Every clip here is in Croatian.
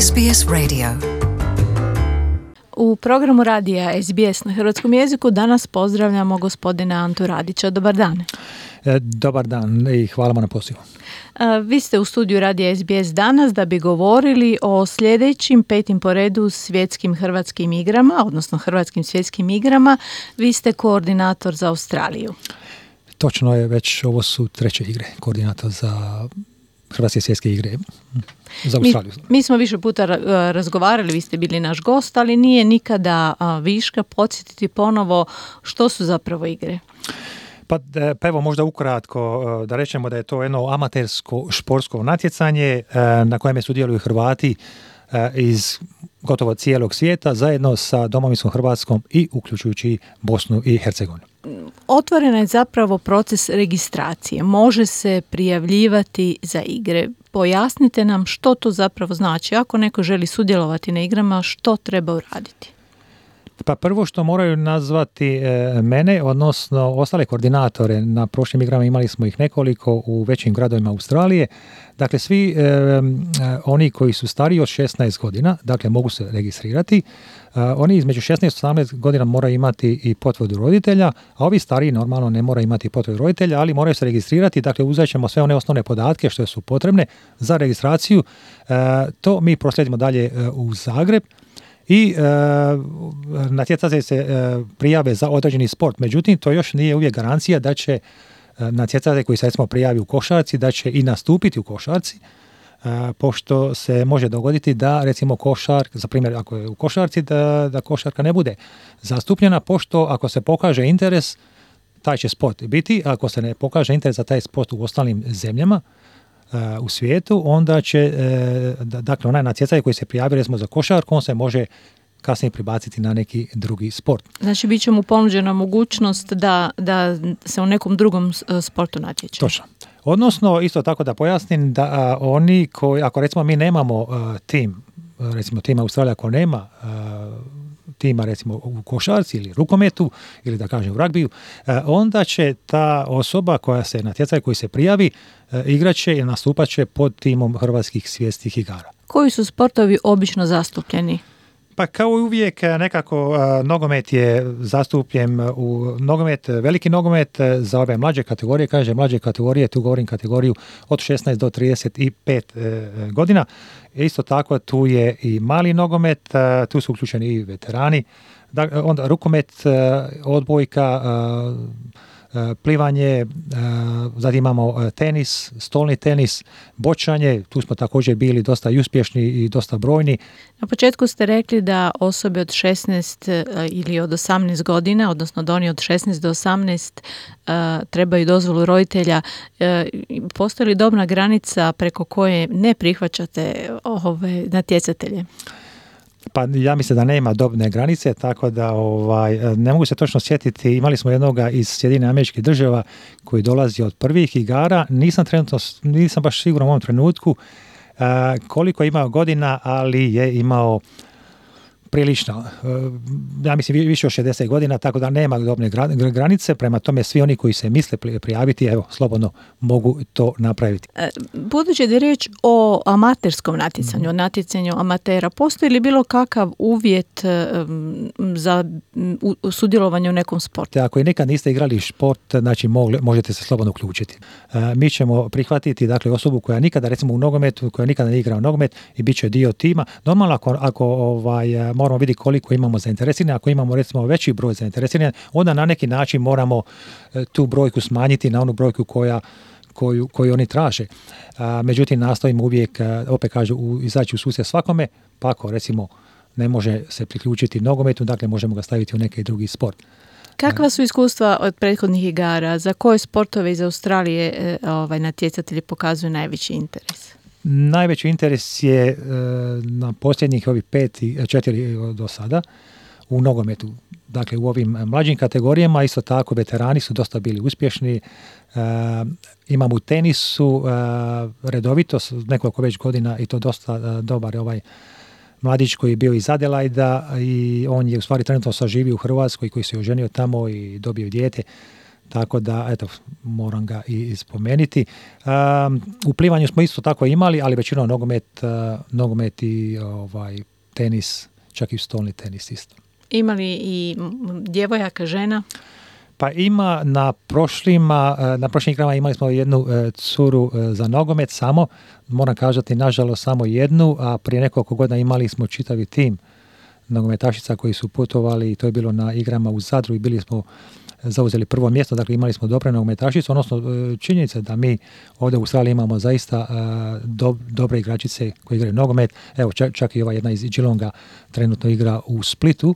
SBS Radio. U programu radija SBS na hrvatskom jeziku danas pozdravljamo gospodina Antu Radića. Dobar dan. Dobar dan i hvala vam na pozivu. Vi ste u studiju radija SBS danas da bi govorili o sljedećim 5. po redu svjetskim hrvatskim igrama, odnosno hrvatskim svjetskim igrama. Vi ste koordinator za Australiju. Točno je, već ovo su 3. igre, koordinator za hrvatske svjetske igre za Australiju. Mi smo više puta razgovarali, vi ste bili naš gost, ali nije nikada viška podsjetiti ponovo što su zapravo igre. Pa evo možda ukratko da rečemo da je to jedno amatersko športsko natjecanje na kojem sudjeluju Hrvati iz gotovo cijelog svijeta zajedno sa domovinskom Hrvatskom i uključujući Bosnu i Hercegovinu. Otvoren je zapravo proces registracije. Može se prijavljivati za igre. Pojasnite nam što to zapravo znači. Ako neko želi sudjelovati na igrama, što treba uraditi? Pa prvo što moraju nazvati mene, odnosno ostale koordinatore. Na prošlim igrama imali smo ih nekoliko u većim gradovima Australije. Dakle, svi oni koji su stariji od 16 godina, dakle mogu se registrirati. Oni između 16 i 18 godina moraju imati i potvrdu roditelja, a ovi stariji normalno ne moraju imati potvrdu roditelja, ali moraju se registrirati. Dakle, uzet ćemo sve one osnovne podatke što su potrebne za registraciju. To mi proslijedimo dalje u Zagreb. I natjecatelji se prijave za određeni sport. Međutim, to još nije uvijek garancija da će natjecatelji koji se recimo prijavi u košarci, da će i nastupiti u košarci, pošto se može dogoditi da recimo za primjer ako je u košarci, da košarka ne bude zastupljena, pošto ako se pokaže interes, taj će sport biti. Ako se ne pokaže interes za taj sport u ostalim zemljama, u svijetu, onda će, dakle, onaj natjecatelj koji se prijavi recimo za košarku, on se može kasnije pribaciti na neki drugi sport. Znači, bit će mu ponuđena mogućnost da se u nekom drugom sportu natječe. Točno. Odnosno, isto tako da pojasnim da oni koji, ako recimo mi nemamo tim, recimo tim Australija ako nema tima recimo u košarci ili rukometu ili da kažem u ragbiju, onda će ta osoba koja se natjecatelj koji se prijavi igraće i nastupat će pod timom hrvatskih svjetskih igara. Koji su sportovi obično zastupljeni? Pa kao i uvijek nekako nogomet je zastupljen u veliki nogomet za ove mlađe kategorije, mlađe kategorije, tu govorim kategoriju od 16 do 35 godina. Isto tako tu je i mali nogomet, tu su uključeni i veterani, onda rukomet, odbojka, plivanje, zatim imamo tenis, stolni tenis, bočanje, tu smo također bili dosta i uspješni i dosta brojni. Na početku ste rekli da osobe od 16 ili od 18 godina, odnosno da oni od 16 do 18 trebaju dozvolu roditelja. Postoji li dobna granica preko koje ne prihvaćate ove natjecatelje? Pa ja mislim da nema dobne granice, tako da ne mogu se točno sjetiti. Imali smo jednoga iz Sjedinjenih Američkih Država koji dolazi od prvih igara. Nisam baš siguran u ovom trenutku koliko je imao godina, ali je imao prilično, ja mislim više od 60 godina, tako da nema dobne granice. Prema tome svi oni koji se misle prijaviti, evo, slobodno mogu to napraviti. Budući da je riječ o amaterskom natjecanju, o natjecanju amatera, postoji li bilo kakav uvjet za sudjelovanje u nekom sportu? Ako i nekad niste igrali šport, znači možete se slobodno uključiti. Mi ćemo prihvatiti, dakle, osobu koja nikada, recimo u nogometu, koja nikada ne igra u nogomet i bit će dio tima. Normalno ako moramo vidjeti koliko imamo zainteresiranih. Ako imamo recimo veći broj zainteresiranih, onda na neki način moramo tu brojku smanjiti na onu brojku koju oni traže. Međutim, nastojimo uvijek, opet kažu, izaći u susret svakome, pa ako recimo ne može se priključiti nogometu, dakle možemo ga staviti u neki drugi sport. Kakva su iskustva od prethodnih igara? Za koje sportove iz Australije natjecatelji pokazuju najveći interes? Najveći interes je na posljednjih ovih 4 do sada u nogometu. Dakle, u ovim mlađim kategorijama, isto tako veterani su dosta bili uspješni. Imamo u tenisu redovito nekoliko već godina i to dosta dobar mladić koji je bio iz Adelaida i on je u stvari trenutno saživio u Hrvatskoj, koji se oženio tamo i dobio dijete. tako da, eto, moram ga i spomenuti. U plivanju smo isto tako imali, ali većinom nogomet i tenis, čak i stolni tenis isto. Imali i djevojaka, žena? Pa ima na prošlim igrama imali smo jednu curu za nogomet samo, moram kažati nažalost samo jednu, a prije nekoliko godina imali smo čitavi tim nogometašica koji su putovali i to je bilo na igrama u Zadru i bili smo zauzeli prvo mjesto, dakle imali smo dobre nogometašice, odnosno činjenica da mi ovdje u Australiji imamo zaista dobre igračice koji igraju nogomet. Evo čak i ova jedna iz Geelonga trenutno igra u Splitu,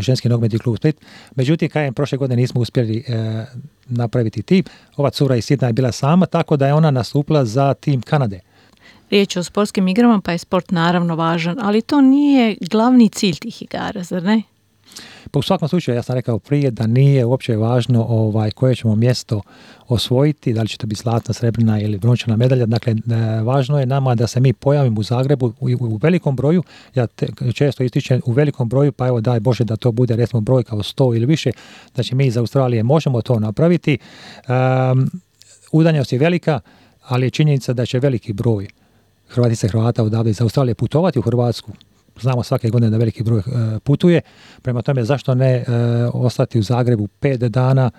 ženski nogometni klub Split. Međutim, kažem, prošle godine nismo uspjeli napraviti tim. Ova cura iz Sidneya je bila sama, tako da je ona nastupila za tim Kanade. Riječ je o sportskim igrama, pa je sport naravno važan, ali to nije glavni cilj tih igara, zar ne? Pa u svakom slučaju, ja sam rekao prije da nije uopće važno koje ćemo mjesto osvojiti, da li će to biti zlatna, srebrna ili brončana medalja. Dakle, važno je nama da se mi pojavimo u Zagrebu u velikom broju. Ja često ističem u velikom broju, pa evo daj Bože da to bude recimo brojka od 100 ili više. Znači mi iz Australije možemo to napraviti. Udaljenost je velika, ali je činjenica da će veliki broj Hrvatica i Hrvata odavde iz Australije putovati u Hrvatsku. Znamo svake godine da veliki broj putuje. Prema tome, zašto ne ostati u Zagrebu 5 dana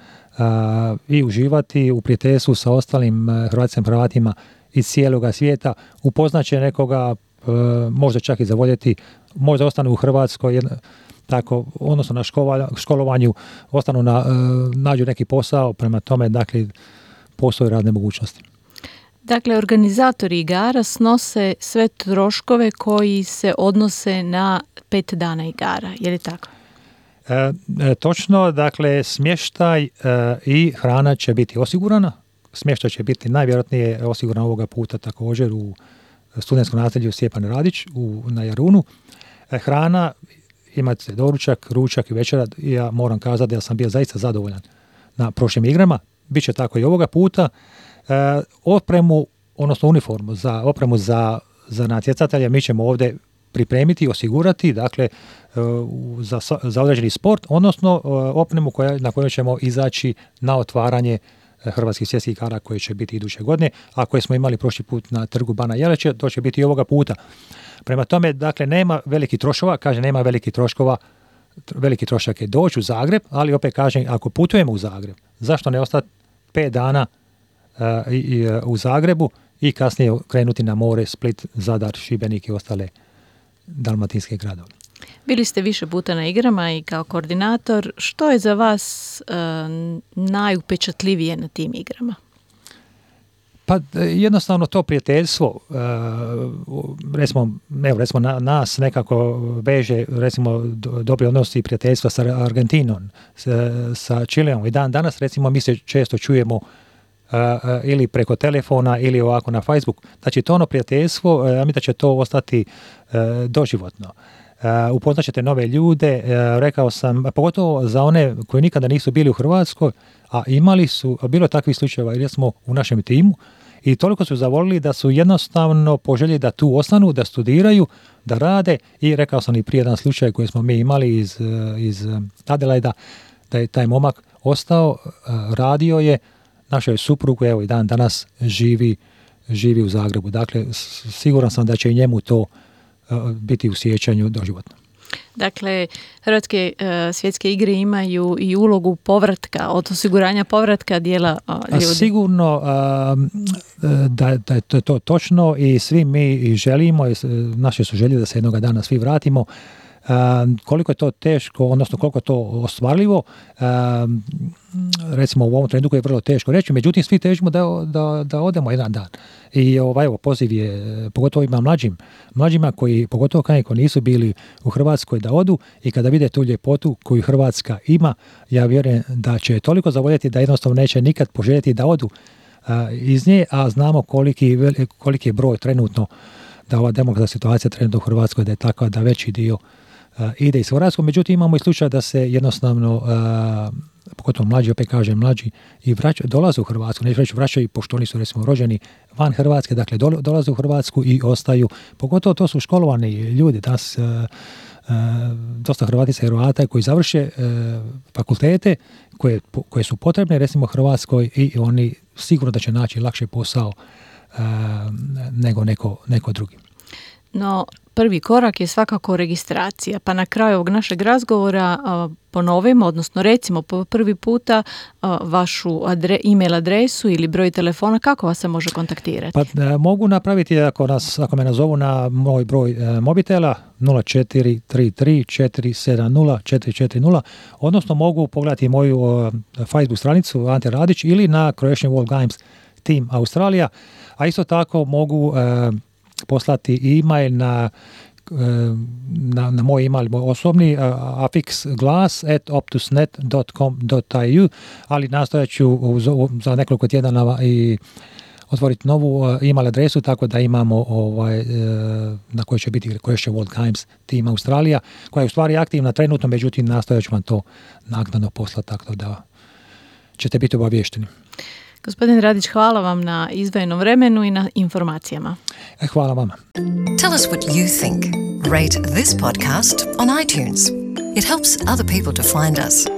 i uživati u prijateljstvu sa ostalim Hrvatima iz cijeloga svijeta. Upoznaće nekoga, možda čak i zavoljeti, možda ostanu u Hrvatskoj, tako, odnosno na školovanju, ostanu nađu neki posao. Prema tome, dakle, postoje razne mogućnosti. Dakle, organizatori igara snose sve troškove koji se odnose na 5 dana igara, je li tako? Točno, dakle, smještaj i hrana će biti osigurana. Smještaj će biti najvjerojatnije osiguran ovoga puta također u studentskom naselju Stjepan Radić na Jarunu. Hrana, imate doručak, ručak i večera. Ja moram kazati da sam bio zaista zadovoljan na prošlim igrama. Biće tako i ovoga puta. Opremu, odnosno uniformu za natjecatelje mi ćemo ovdje pripremiti i osigurati, dakle, za određeni sport, odnosno opremu na kojoj ćemo izaći na otvaranje hrvatskih svjetskih igara koje će biti iduće godine, a koje smo imali prošli put na trgu Bana Jelačića, to će biti i ovoga puta. Prema tome, dakle, nema velikih troškova, nema velikih troškova, veliki trošak je doći u Zagreb, ali opet kažem, ako putujemo u Zagreb, zašto ne ostati 5 dana u Zagrebu i kasnije krenuti na more, Split, Zadar, Šibenik i ostale dalmatinske gradove. Bili ste više puta na igrama i kao koordinator. Što je za vas najupečatljivije na tim igrama? Pa jednostavno to prijateljstvo, recimo nas nekako veže, recimo dobri odnosi prijateljstva sa Argentinom, sa Čileom i dan danas recimo mi se često čujemo ili preko telefona ili ovako na Facebook. Znači to ono prijateljstvo, ja mislim da će to ostati doživotno. Upoznat ćete nove ljude, rekao sam, pogotovo za one koji nikada nisu bili u Hrvatskoj, a bilo je takvih slučajeva jer smo u našem timu i toliko su zavolili da su jednostavno poželjeli da tu ostanu, da studiraju, da rade i rekao sam i prije jedan slučaj koji smo mi imali iz Adelaida, da je taj momak ostao, radio je, našoj suprugu, evo i dan danas živi u Zagrebu. Dakle, siguran sam da će i njemu to biti u sjećanju doživotno. Dakle, Hrvatske svjetske igre imaju i ulogu povratka, od osiguranja povratka dijela ljudi. Sigurno da je to točno i svi mi želimo, naše su želje da se jednoga dana svi vratimo. Koliko je to teško, odnosno koliko je to ostvarljivo, recimo u ovom trenutku je vrlo teško reći, međutim svi težimo da odemo jedan dan. I evo, poziv je pogotovo ima mlađima koji, pogotovo koji nisu bili u Hrvatskoj, da odu i kada vide tu ljepotu koju Hrvatska ima, ja vjerujem da će toliko zavoljeti da jednostavno neće nikad poželjeti da odu iz nje, a znamo koliki je broj trenutno, da ova demografska situacija trenutno u Hrvatskoj da je takva da veći dio ide iz Hrvatskog. Međutim, imamo i slučaj da se jednostavno pogotovo mlađi, opet kažem mlađi, i dolaze u Hrvatsku, neću reći vraćaju, pošto oni su recimo rođeni van Hrvatske, dakle dolaze u Hrvatsku i ostaju, pogotovo to su školovani ljudi, danas dosta Hrvatica i Hrvata koji završe fakultete koje su potrebne recimo Hrvatskoj i oni sigurno da će naći lakše posao nego neko drugi. No, prvi korak je svakako registracija, pa na kraju ovog našeg razgovora ponovimo, odnosno recimo po prvi puta vašu email adresu ili broj telefona, kako vas se može kontaktirati? Pa mogu napraviti ako me nazovu na moj broj mobitela 0433470440, odnosno mogu pogledati moju Facebook stranicu Ante Radić ili na Croatian World Games Team Australija, a isto tako mogu poslati e-mail na moj email, moj osobni afixglas@optusnet.com.au, ali nastojat ću za nekoliko tjedana i otvoriti novu email adresu, tako da imamo na kojoj će biti Croatian World Games Team Australija, koja je u stvari aktivna trenutno, međutim nastojat ću vam to naknadno poslati, tako da ćete biti obavješteni. Gospodin Radić, hvala vam na izdvojenom vremenu i na informacijama. Hvala vama. Tell us what you think. Rate this podcast on iTunes. It helps other people to find us.